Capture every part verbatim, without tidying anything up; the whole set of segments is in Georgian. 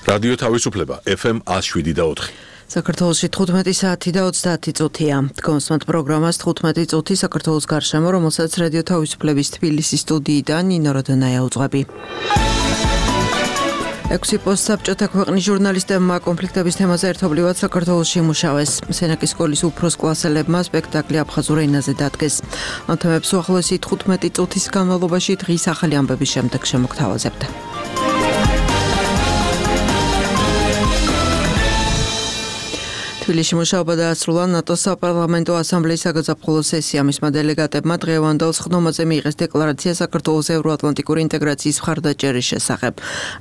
რადიო თავისუფლება ეფ ემ one oh seven და four. საქართველოში თხუთმეტი საათი და ოცდაათი წუთია. Დგომსმათ პროგრამას თხუთმეტი წუთი საქართველოს გარშემო, რომელსაც რადიო თავისუფლების თბილისის სტუდიიდან ნინო როდონაია უძღვები. ექვსი პოსტსაბჭოთა ქვეყნის ჟურნალისტებმა კონფლიქტების თემაზე ერთობლივად საქართველოში იმუშავეს. სენაკის სკოლის უფროს კლასელებმა სპექტაკლი აფხაზურ ენაზე დადგეს. ამ თემებს უახლოესი თხუთმეტი წუთის განმავლობაში დღის ახალი ამბების შემდეგ შემოგთავაზებთ. თბილისში მუშაობა დაასრულა ნატოს საპარლამენტო ასამბლეის საგაზაფხულო სესია. მისმა დელეგატებმა დღევანდელ სხდომაზე მიიღეს დეკლარაცია საქართველოს ევროატლანტიკური ინტეგრაციის მხარდაჭერის შესახებ.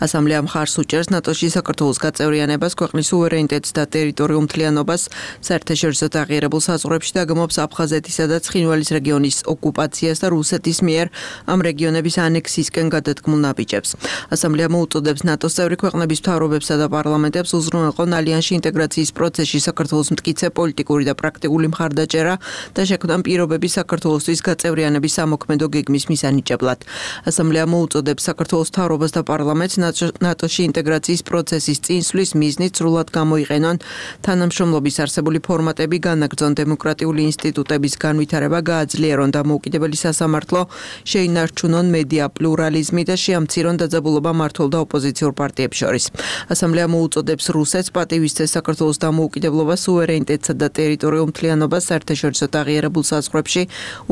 ასამბლეა მხარს უჭერს ნატოში საქართველოს გაწევრიანებას, ქვეყნის სუვერენიტეტს და ტერიტორიულ მთლიანობას, საერთაშორისო აღიარებულ საზღვრებში და გმობს აფხაზეთისა და ცხინვალის რეგიონის ოკუპაციას და რუსეთის მიერ ამ რეგიონების ანექსიისკენ გადადგმულ ნაბიჯებს. ასამბლეა მოუწოდებს ნატოს წევრი ქვეყნების მთავრობებსა და პარლამენტებს უზრუნველყონ ალიანსში ინტეგრაციის პროცესში საქართველოს მტკიცე პოლიტიკური და პრაქტიკული მხარდაჭერა და შექმნან პირობები საქართველოსთვის გაწევრიანების სამოქმედო გეგმის მისანიჭებლად. ასამბლეა მოუწოდებს საქართველოს მთავრობას და პარლამენტს ნატოში ინტეგრაციის პროცესის წინსვლის მიზნით სრულად გამოიყენონ თანამშრომლობის არსებული ფორმატები, განაგრძონ დემოკრატიული ინსტიტუტების განვითარება, გააძლიერონ დამოუკიდებელი სასამართლო, შეინარჩუნონ მედია პლურალიზმი და შეამცირონ დაძაბულობა მმართველ და ოპოზიციურ პარტიებს შორის. ასამბლეა მოუწოდებს რუსეთს პატივისცეს საქართველოს დამოუკიდებლობა სუვერენიტეტსა და ტერიტორიულ მთლიანობას საერთაშორისო აღიარებულ საზღვრებში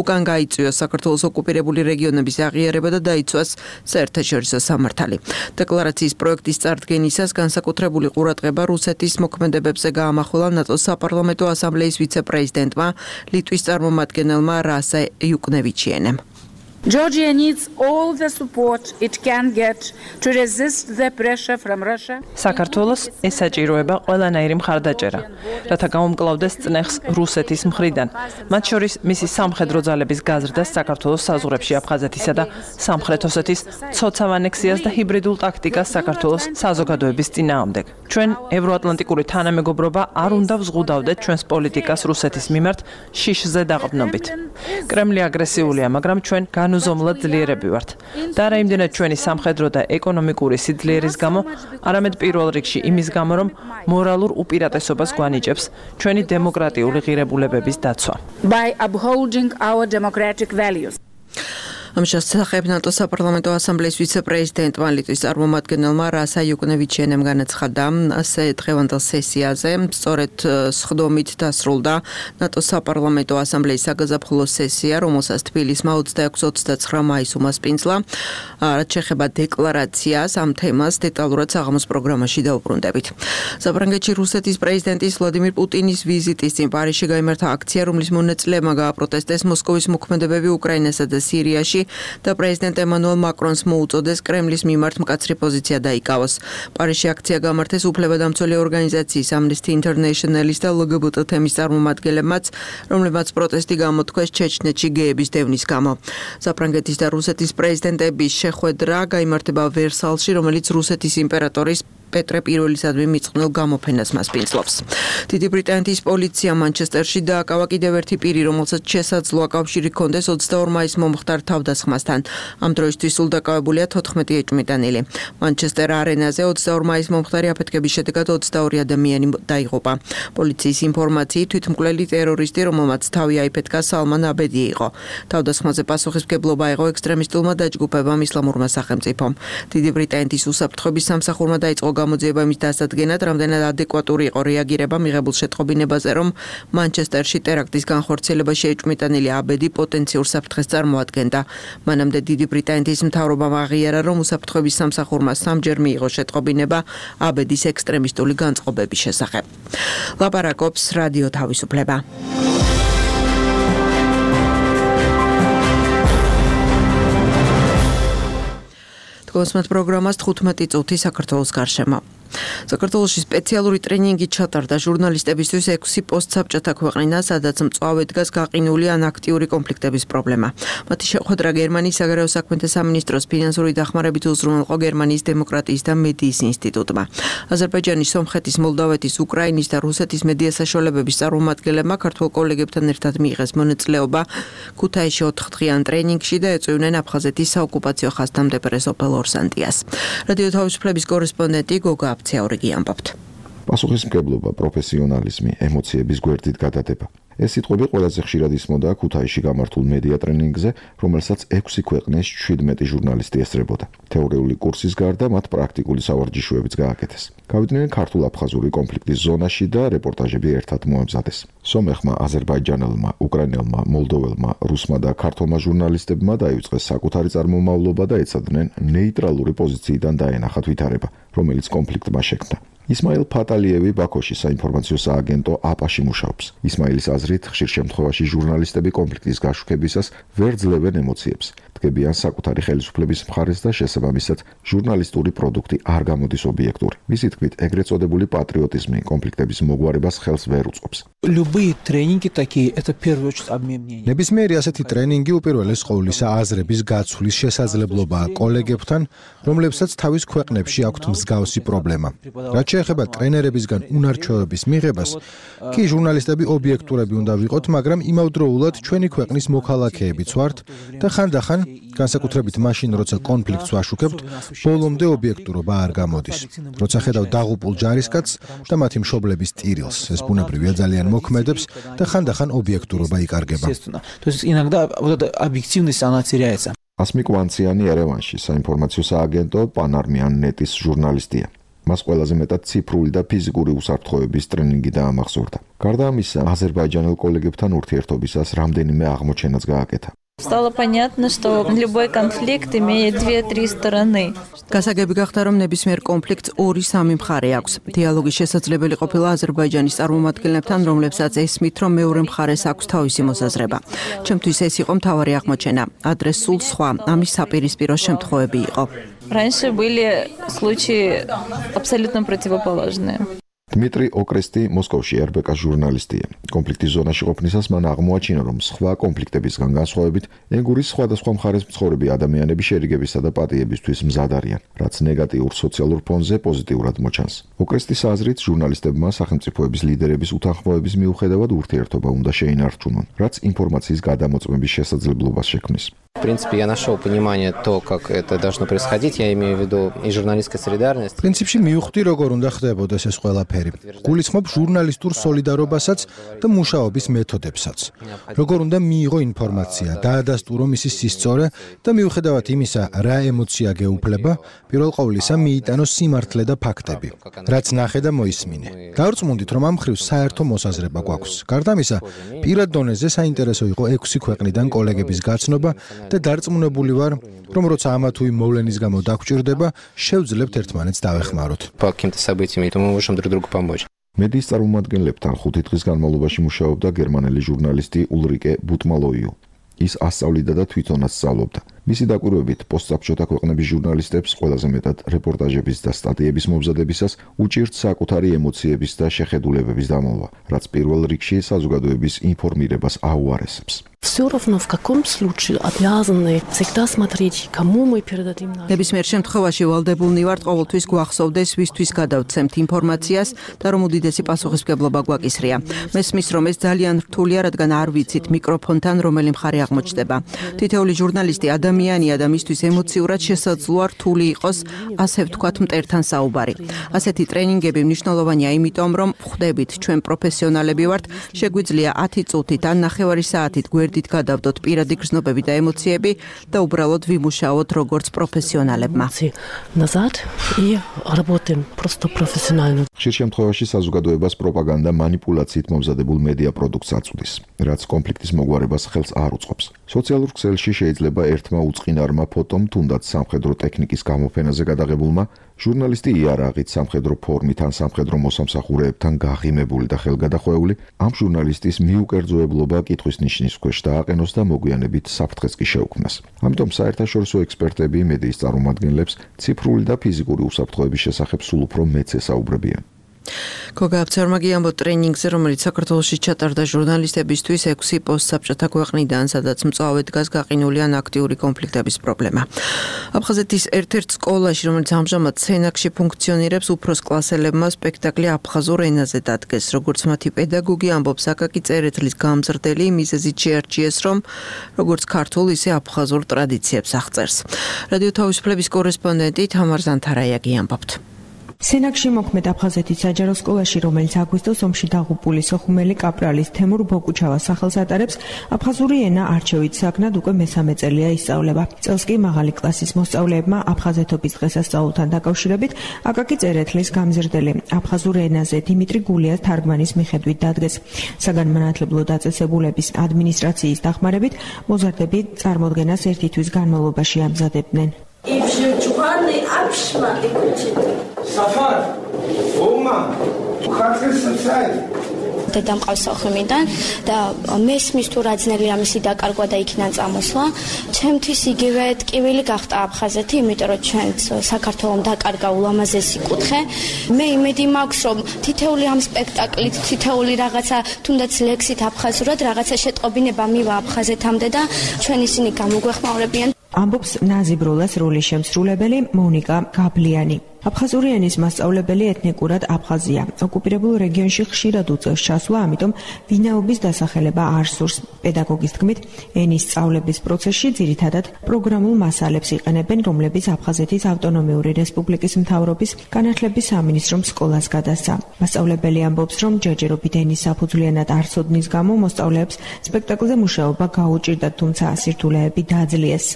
უკან გაიწვიოს საქართველოს ოკუპირებული რეგიონების აღიარება და დაიცვას საერთაშორისო სამართალი. დეკლარაციის პროექტის წარდგენისას განსაკუთრებული ყურადღება რუსეთის მოქმედებებზე გაამახვილა ნატოს საპარლამენტო ასამბლეის ვიცე-პრეზიდენტმა, ლიტვის წარმომადგენელმა რასა იუკნევიჩიენემ. Georgia needs all the support it can get to resist the pressure from Russia. საქართველოს ესაჭიროება ყველანაირი მხარდაჭერა, რათა გაუმკლავდეს წნეხს რუსეთის მხრიდან, მათ შორის მისი სამხედრო ძალების გაზრდას საქართველოს საზღვრებში აფხაზეთისა და სამხრეთ ოსეთის ცოცავ ანექსიას და ჰიბრიდულ ტაქტიკას საქართველოს საზოგადოების წინააღმდეგ. ჩვენ ევროატლანტიკური თანამეგობრობა არ უნდა ვზღუდავდეთ ჩვენს პოლიტიკას რუსეთის მიმართ შიშზე დაყრდნობით. კრემლი აგრესიულია, მაგრამ ჩვენ განუზომლად ძლიერები ვართ. და არა იმდენად ჩვენი სამხედრო და ეკონომიკური სიძლიერის გამო, არამედ პირველ რიგში იმის გამო, რომ მორალურ უპირატესობას გვანიჭებს ჩვენი დემოკრატიული ღირებულებების დაცვა. By upholding our democratic values. ამ შესახებ ნატოს საპარლამენტო ასამბლეის ვიცე-პრეზიდენტმა ლიტვის წარმომადგენელმა რასა იუკნევიჩიენემ განაცხადა, ასე დღევანდელ სესიაზე სწორედ სხდომით დასრულდა ნატოს საპარლამენტო ასამბლეის საგაზაფხულო სესია, რომელსაც თბილისმა ოცდაექვსი ოცდაცხრა მაისს უმასპინძლა. რაც შეეხება დეკლარაციას, ამ თემას დეტალურად საღამოს პროგრამაში დავუბრუნდებით. საფრანგეთში რუსეთის პრეზიდენტის ვლადიმირ პუტინის ვიზიტის წინ პარიზში გაიმართა აქცია, რომლის მონაწილეებმა გააპროტესტეს მოსკოვის მოქმედებები უკრაინასა და სირიაში და პრეზიდენტ ემანუელ მაკრონს მოუწოდეს კრემლის მიმართ მკაცრი პოზიცია დაიკავოს. პარიზში აქცია გამართეს უფლებადამცველი ორგანიზაციის Amnesty International-ის და ელ გი ბი ტი თემის წარმომადგენლებმაც, რომლებმაც პროტესტი გამოთქვეს ჩეჩნეთში გეების დევნის გამო. საფრანგეთის და რუსეთის პრეზიდენტების შეხვედრა გაიმართება ვერსალში, რომელიც რუსეთის იმპერატორის პეტრე პირველისადმი მიწყნელ გამოფენას მასპინძლობს. დიდი ბრიტანეთის პოლიცია მანჩესტერში დააკავა კიდევ ერთი პირი, რომელსაც შესაძლოა კავშირი ჰქონდეს ოცდაორ მაისს მომხდარ თავდასხმასთან. ამ დროისთვის სულ დაკავებულია თოთხმეტი ეჭვმიტანილი. მანჩესტერ არენაზე ოცდაორ მაისს მომხდარი აფეთქების შედეგად ოცდაორი ადამიანი დაიღუპა. პოლიციის ინფორმაციით თვითმკვლელი ტერორისტი, რომელმაც თავი აიფეთქა, სალმან აბედი იყო. თავდასხმაზე პასუხისმგებლობა აიღო ექსტრემისტულმა დაჯგუფებამ ისლამურმა სახელმწიფომ. დიდი ბრიტანეთის უსაფრთხოების სამსახურმა დაიწყო გამოძიება იმის დასადგენად, რამდენად ადეკვატური იყო რეაგირება მიღებულ შეტყობინებაზე, რომ მანჩესტერში ტერაქტის განხორციელებაში ეჭვმიტანილი აბედი პოტენციურ საფრთხეს წარმოადგენდა. მანამდე დიდი ბრიტანეთის მთავრობამ აღიარა, რომ უსაფრთხოების სამსახურმა სამჯერ მიიღო შეტყობინება აბედის ექსტრემისტული განწყობების შესახებ. ლაპარაკობს რადიო თავისუფლება. დგომსმათ პროგრამას თხუთმეტი წუთი საქართველოს გარშემო. საქართველოში სპეციალური ტრენინგი ჩატარდა ჟურნალისტებისთვის ექვსი პოსტსაბჭოთა ქვეყნიდან, სადაც მწვავედ დგას გაყინული ან აქტიური კონფლიქტების პრობლემა. მათი შეხვედრა გერმანიის საგარეო საქმეთა სამინისტროს ფინანსური დახმარებით უზრუნველყო გერმანიის დემოკრატიის და მედიის ინსტიტუტმა. აზერბაიჯანის, სომხეთის, მოლდავეთის, უკრაინის და რუსეთის მედია საშუალებების წარმომადგენლებმა ქართველ კოლეგებთან ერთად მიიღეს მონაწილეობა ქუთაისში ოთხდღიან ტრენინგში და ეწვივნენ აფხაზეთის საოკუპაციო ხაზთამდებარე სოფელ ორსანტიას. რადიო თავისუფლების კორესპონდენტი გოგა redaktsiauri კი ამბობთ. პასუხისმგებლობა, პროფესიონალიზმი, ემოციების გვერდით გადადება. ეს სიტყვები ყველაზე ხშირად ისმოდა ქუთაისში გამართულ მედია ტრენინგზე, რომელსაც ექვსი ქვეყნის შვიდმეტი ჟურნალისტი ესწრებოდა. თეორიული კურსის გარდა მათ პრაქტიკული სავარჯიშოებიც გააკეთეს. გავიდნენ ქართულ-აფხაზური კონფლიქტის ზონაში და რეპორტაჟები ერთად მოამზადეს. სომეხმა, აზერბაიჯანელმა, უკრაინელმა, მოლდოველმა, რუსმა და ქართულმა ჟურნალისტებმა დაიწყეს საკუთარი წარმომავლობა და ეცადნენ ნეიტრალური პოზიციიდან დაენახათ ვითარება, რომელიც კონფლიქტმა შექმნა. ისმაილ ფატალიევი ბაქოში საინფორმაციო სააგენტო აპაში მუშაობს. ისმაილის აზრით, ხშირ შემთხვევაში ჟურნალისტები კონფლიქტის გაშუქებისას ვერ ძლევენ ემოციებს, დგებიან საკუთარი ხელისუფლების მხარეს და შესაბამისად ჟურნალისტური პროდუქტი არ გამოდის ობიექტური. მისი თქმით, ეგრეთ წოდებული პატრიოტიზმი კონფლიქტების მოგვარებას ხელს ვერ უწყობს. Любые тренинги такие, это в первую очередь обмен мнениями. ნებისმიერი ასეთი ტრენინგი უპირველეს ყოვლისა აზრების გაცვლის შესაძლებლობაა კოლეგებთან, რომლებსაც თავის ქვეყნებში აქვთ მსგავსი პრობლემა. რაც შეეხება ტრენერებისგან უნარჩვევების მიღებას, კი ჟურნალისტები ობიექტურები უნდა ვიყოთ, მაგრამ იმავდროულად ჩვენი ქვეყნის მოქალაქეებიც ვართ და ხანდახან, განსაკუთრებით მაშინ, როცა კონფლიქტს ვაშუქებთ, ბოლომდე ობიექტურობა არ გამოდის. როცა ხედავ დაღუპულ ჯარისკაცს და მათი მშობლების ტირილს, ეს ბუნებრივია ძალიან მოქმედებს და ხანდახან ობიექტურობა იკარგება. То есть иногда вот эта объективность она теряется. ასმიკ ვანციანი ერევანში საინფორმაციო სააგენტო პანარმიან ნეტის ჟურნალისტია. მას ყველაზე მეტად ციფრული და ფიზიკური უსაფრთხოების ტრენინგი დაამახსოვრდა. გარდა ამისა, აზერბაიჯანელ კოლეგებთან ურთიერთობისას რამდენიმე აღმოჩენაც გააკეთა. Стало понятно, что любой конфликт имеет две-три стороны. გასაგები გახდა, რომ ნებისმიერ კონფლიქტს ორი-სამი მხარე აქვს. დიალოგის შესაძლებელი ყოფილა აზერბაიჯანის წარმომადგენლებთან, რომლებსაც ესმით, რომ მეორე მხარეს აქვს თავისი მოსაზრება. ჩემთვის ეს იყო მთავარი აღმოჩენა. ადრე სულ სხვა, ამის საპირისპირო შემთხვევები იყო. Раньше были случаи абсолютно противоположные. დმიტრი ოკრესტი მოსკოვში эр ბე ка ჟურნალისტია. კონფლიქტის ზონაში ყოფნისას მან აღმოაჩინა, რომ სხვა კონფლიქტებისგან განსხვავებით, ენგურის სხვადასხვა მხარეს მცხოვრები ადამიანები შერიგებისა და პატიებისთვის მზად არიან, რაც ნეგატიურ სოციალურ ფონზე პოზიტიურად მოჩანს. ოკრესტის აზრით, ჟურნალისტებმა სახელმწიფოების ლიდერების უთანხმოების მიუხედავად ურთიერთობა უნდა შეინარჩუნონ, რაც ინფორმაციის გადამოწმების შესაძლებლობას შექმნის. В принципе, я нашел понимание то, как это должно происходить, я имею в виду и журналистская солидарность. პრინციპში მივხვდი, როგორ უნდა ხდებოდეს ეს ყველაფერი. გულისხმობ ჟურნალისტურ სოლიდარობასაც და მუშაობის მეთოდებსაც. როგორ უნდა მიიღო ინფორმაცია, დაადასტურო მისი სისწორე და მიუხედავად იმისა, რა ემოცია გეუფლება, პირველ ყოვლისა მიიტანო სიმართლე და ფაქტები, რაც ნახე და მოისმინე. დავრწმუნდით, რომ ამ მხრივ საერთო მოსაზრება გვაქვს. გარდა ამისა, პირად დონეზე საინტერესო იყო ექვსი ქვეყნიდან კოლეგების გაცნობა და დარწმუნებული ვარ, რომ როცა ამა თუ იმ მოვლენის გამო დაგვჭირდება, შევძლებთ ერთმანეთს დავეხმაროთ. По каким-то событиям, и мы можем друг другу помочь. მედიის წარმომადგენლებთან ხუთი დღის განმავლობაში მუშაობდა გერმანელი ჟურნალისტი ულრიკე ბუტმალოიუ. ის ასწავლიდა და თვითონაც სწავლობდა. მისი დაკვირვებით, პოსტსაბჭოთა ქვეყნების ჟურნალისტებს ყველაზე მეტად რეპორტაჟების და სტატიების მომზადებისას უჭირთ საკუთარი ემოციების და შეხედულებების დამალვა, რაც პირველ რიგში საზოგადოების ინფორმირებას აუარესებს. Всё равно в каком случае обязаны всегда смотреть, кому мы передадим наш. ნებისმიერ შემთხვევაში ვალდებულნი ვართ ყოველთვის გვახსოვდეს, ვისთვის გადავცემთ ინფორმაციას და რომ უდიდესი პასუხისმგებლობა გვაკისრია. მესმის, რომ ეს ძალიან რთულია, რადგან არ ვიცით მიკროფონთან რომელი მხარე აღმოჩნდება. თითოეული ჟურნალისტი ადამიანია და მისთვის ემოციურად შესაძლოა რთული იყოს, ასე ვთქვათ, მტერთან საუბარი. ასეთი ტრენინგები მნიშვნელოვანია იმიტომ, რომ ხვდებით, ჩვენ პროფესიონალები ვართ, შეგვიძლია ათი წუთით ან ნახევარი საათით გვერდით გადავდოთ პირადი გრძნობები და ემოციები და უბრალოდ ვიმუშაოთ როგორც პროფესიონალებმა. Назад и работаем просто профессионально. ხშირ შემთხვევაში საზოგადოებას პროპაგანდა манипуляციით მომზადებულ მედია პროდუქტს აწვდის, რაც კონფლიქტის მოგვარებას ხელს არ უწყობს. სოციალურ ქსელში შეიძლება ერთმა უწყინარმა ფოტომ თუნდაც სამხედრო ტექნიკის გამოფენაზე გადაღებულმა ჟურნალისტი იარაღით სამხედრო ფორმით ან სამხედრო მოსამსახურეებთან გაღიმებული და ხელგადახვეული ამ ჟურნალისტის მიუკერძოებლობა კითხვის ნიშნის ქვეშ დააყენოს და მოგვიანებით საფრთხეს კი შეუქმნას. ამიტომ საერთაშორისო ექსპერტები მედიის წარმომადგენლებს ციფრული და ფიზიკური უსაფრთხოების შესახებ სულ უფრო მეც ესაუბრებიან. გოგა აფცარმაგი ამბობს ტრენინგზე, რომელიც საქართველოში ჩატარდა ჟურნალისტებისთვის ექვსი პოსტსაბჭოთა ქვეყნიდან, სადაც მწვავე დგას გაყინული ან აქტიური კონფლიქტების პრობლემა. აფხაზეთის ერთ-ერთ სკოლაში, რომელიც ამჟამად სენაკში ფუნქციონირებს, უფროს კლასელებმა სპექტაკლი აფხაზურ ენაზე დადგეს. როგორც მათი პედაგოგი ამბობს, აკაკი წერეთლის გამზრდელი მიზეზით შეარჩიეს, რომ როგორც ქართულ, ისე აფხაზურ ტრადიციებს აღწერს. რადიო თავისუფლების კორესპონდენტი თამარ ზანთარაიაგი ამბობთ. სენაკში მოქმედ აფხაზეთის საჯარო სკოლაში, რომელიც აგვისტოს ომში დაღუპული სოხუმელი კაპრალის თემურ ბოკუჩავას სახელს ატარებს, აფხაზური ენა არჩევით საგნად უკვე მესამე წელია ისწავლება. წელს კი მაღალი კლასის მოსწავლეებმა აფხაზეთობის დღესასწაულთან დაკავშირებით აკაკი წერეთლის გამზრდელი აფხაზურ ენაზე დიმიტრი გულიას თარგმანის მიხედვით დადგეს. საგანმანათლებლო დაწესებულების ადმინისტრაციის დახმარებით მოზარდები წარმოდგენას ერთი თვის განმავლობაში ამზადებდნენ. Safar, Oma, ხარკეს საი. დედამ ყავს სოხუმიდან და მესმის თუ რა ძნელი ამისი დაკარგვა და იქიდან წამოსვლა. ჩემთვის იგივე ტკივილი გახდა აფხაზეთი, იმიტომ რომ ჩვენც საქართველოს დაკარგა ულამაზესი კუთხე. მე იმედი მაქვს, რომ თითეული ამ სპექტაკლით, თითეული რაღაცა, თუნდაც ლექსით აფხაზურად რაღაცა შეტყობინება მივა აფხაზეთამდე და ჩვენ ისინი გამოგვეხმაურებიან. ამბობს ნაზიბროლას როლის შემსრულებელი მონიკა გაბლიანი. აფხაზური ენის მასწავლებელი ეთნიკურად აფხაზია. ოკუპირებულ რეგიონში ხშირად უწევს ჩასვლა, ამიტომ ვინაობის დასახელება არ სურს. პედაგოგის თქმით, ენის სწავლების პროცესში ძირითადად პროგრამულ მასალებს იყენებენ, რომლებიც აფხაზეთის ავტონომიური რესპუბლიკის მთავრობის განათლების სამინისტრომ სკოლას გადასცა. მასწავლებელი ამბობს, რომ ჯერჯერობით ენის საფუძვლიანად არ ცოდნის გამო მოსწავლეებს სპექტაკლზე მუშაობა გაუჭირდათ, თუმცა სირთულეები დააძლიეს.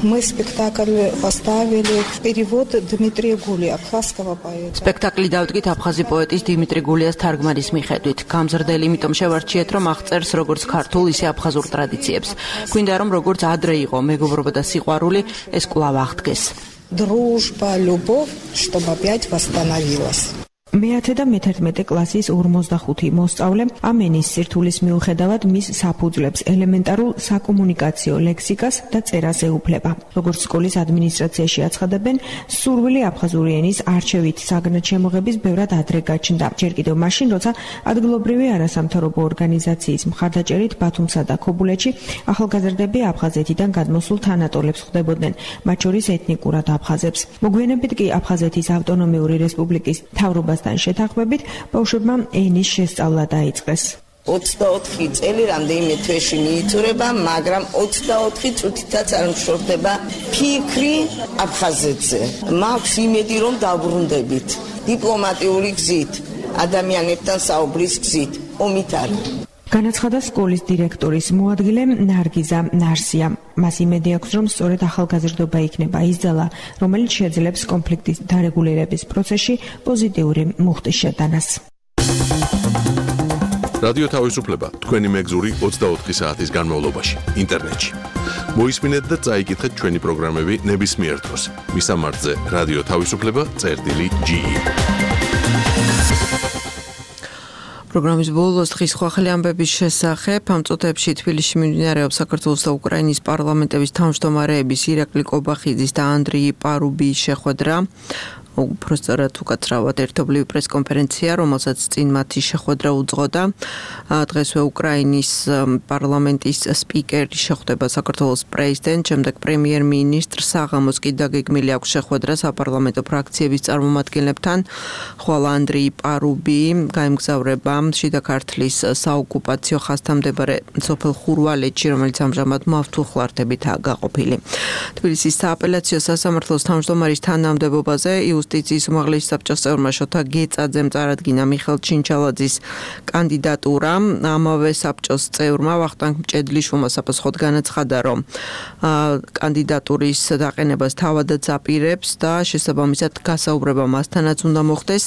Мы спектакль поставили в перевод Дмитрия Гулия, абхазского поэта. Спектаклი დავდგით აფხაზი პოეტის დიმიტრი გულიას თარგმანის მიხედვით. გამზრდელი იმიტომ შევარჩიეთ, რომ აღწერს როგორც ქართულ, ისე აფხაზურ ტრადიციებს. გვინდა რომ როგორც ადრე იყო მეგობრობა და სიყვარული, ეს კვლავ აღდგეს. Дружба, любовь, чтобы опять восстановилась. მეათე და მეთერთმეტე კლასის ორმოცდახუთი მოსწავლე ამ ენის სირთულის მიუხედავად მის საფუძვლებს ელემენტარულ საკომუნიკაციო ლექსიკას და წერას ეუფლება. როგორც სკოლის ადმინისტრაციაში აცხადებენ, სურვილი აფხაზური ენის არჩევით საგნად შემოღების ბევრად ადრე გაჩნდა. ჯერ კიდევ მაშინ, როცა ადგილობრივი არასამთავრობო ორგანიზაციის მხარდაჭერით ბათუმსა და ქობულეთში ახალგაზრდები აფხაზეთიდან გადმოსულ თანატოლებს ხვდებოდნენ, მათ შორის ეთნიკურად აფხაზებს. მოგვიანებით კი აფხაზეთის ავტონომიური რესპუბლიკის მთავრობას შეთანხმებით ბავშვებმა ენის შესწავლა დაიწყეს. ოცდაოთხი წელი რამდენიმე თვეში მიიწურება, მაგრამ ოცდაოთხი წუთითაც არ მშორდება ფიქრი აფხაზეთზე. მაქვს იმედი, რომ დავბრუნდებით დიპლომატიური გზით, ადამიანებთან საუბრის გზით, ომით არ. განაცხადა სკოლის დირექტორის მოადგილე ნარგიზა ნარსია. მას იმედი აქვს, რომ სწორედ ახალგაზრდობა იქნება ის ძალა, რომელიც შეძლებს კონფლიქტის დარეგულირების პროცესში პოზიტიური მუხტის შეტანას. რადიო თავისუფლება თქვენი მეგზური ოცდაოთხი საათის განმავლობაში ინტერნეტში. მოისმინეთ და წაიკითხეთ ჩვენი პროგრამები ნებისმიერ დროს. მისამართზე რადიო თავისუფლება წერტილი ჯი ი. პროგრამის ბოლოს დღის ხვახელი ამბების შესახებ ამ წუთებში თბილისში მიმდინარეობს საქართველოს და უკრაინის პარლამენტების თავმჯდომარეების ირაკლი კობახიძის და ანდრეი პარუბიის შეხვედრა. უბრალოდ უკაცრავად ერთობლივი პრესკონფერენცია, რომელსაც წინ მათი შეხვედრა უძღოდა. დღესვე უკრაინის პარლამენტის სპიკერი შეხვდება საქართველოს პრეზიდენტს, შემდეგ პრემიერ-მინისტრს, საღამოს კი დაგეგმილი აქვს შეხვედრა საპარლამენტო ფრაქციების წარმომადგენლებთან, ხოლო ანდრეი პარუბი გაემგზავრება შიდა ქართლის საოკუპაციო ხაზთან მდებარე სოფელ ხურვალეთში, რომელიც ამჟამად მავთულხლართებითაა გაყოფილი. თბილისის სააპელაციო სასამართლოს თავმჯდომარის თანამდებობაზე იუსტიციის უმაღლესი საბჭოს წევრმა შოთა გეწაძემ წარადგინა მიხელ ჩინჩალაძის კანდიდატურა. ამავე საბჭოს წევრმა ვახტანგ მჭედლიშვილმა საფასხოდ განაცხადა, რომ კანდიდატურის დაყენებას თავადაც აპირებს და შესაბამისად გასაუბრება მასთანაც უნდა მოხდეს.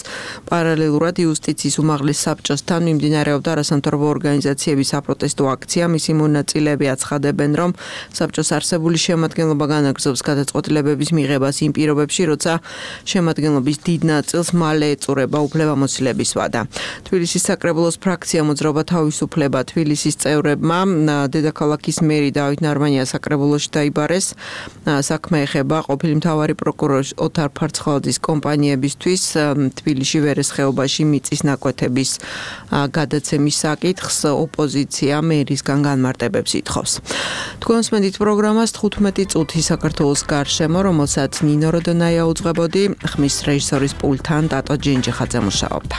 პარალელურად იუსტიციის უმაღლეს საბჭოსთან მიმდინარეობდა არასამთავრობო ორგანიზაციების საპროტესტო აქცია. მისი მონაწილეები აცხადებენ, რომ საბჭოს არსებული შემადგენლობა განაგრძობს გადაწყვეტილებების მიღებას იმ პირობებში, როცა შემადგენლობის დიდ ნაწილს მალე ეწურება უფლებამოსილების ვადა. თბილისის საკრებულოს ფრაქცია მოძრაობა თავისუფლება თბილისის წევრებმა დედაქალაქის მერი დავით ნარმანია საკრებულოში დაიბარეს. საქმე ეხება ყოფილი მთავარი პროკურორი ოთარ ფარცხალაძის კომპანიებისთვის თბილისში ვერეს ხეობაში მიწის ნაკვეთების გადაცემის საკითხს ოპოზიცია მერისგან განმარტებებს ითხოვს. თქვენს მედით პროგრამას თხუთმეტი წუთი საქართველოს გარშემო, რომელსაც ნინო როდონაია უძღვებოდი, ხმის რეჟისორის პულტთან ტატო ჯინჯიხაძე მუშაობდა.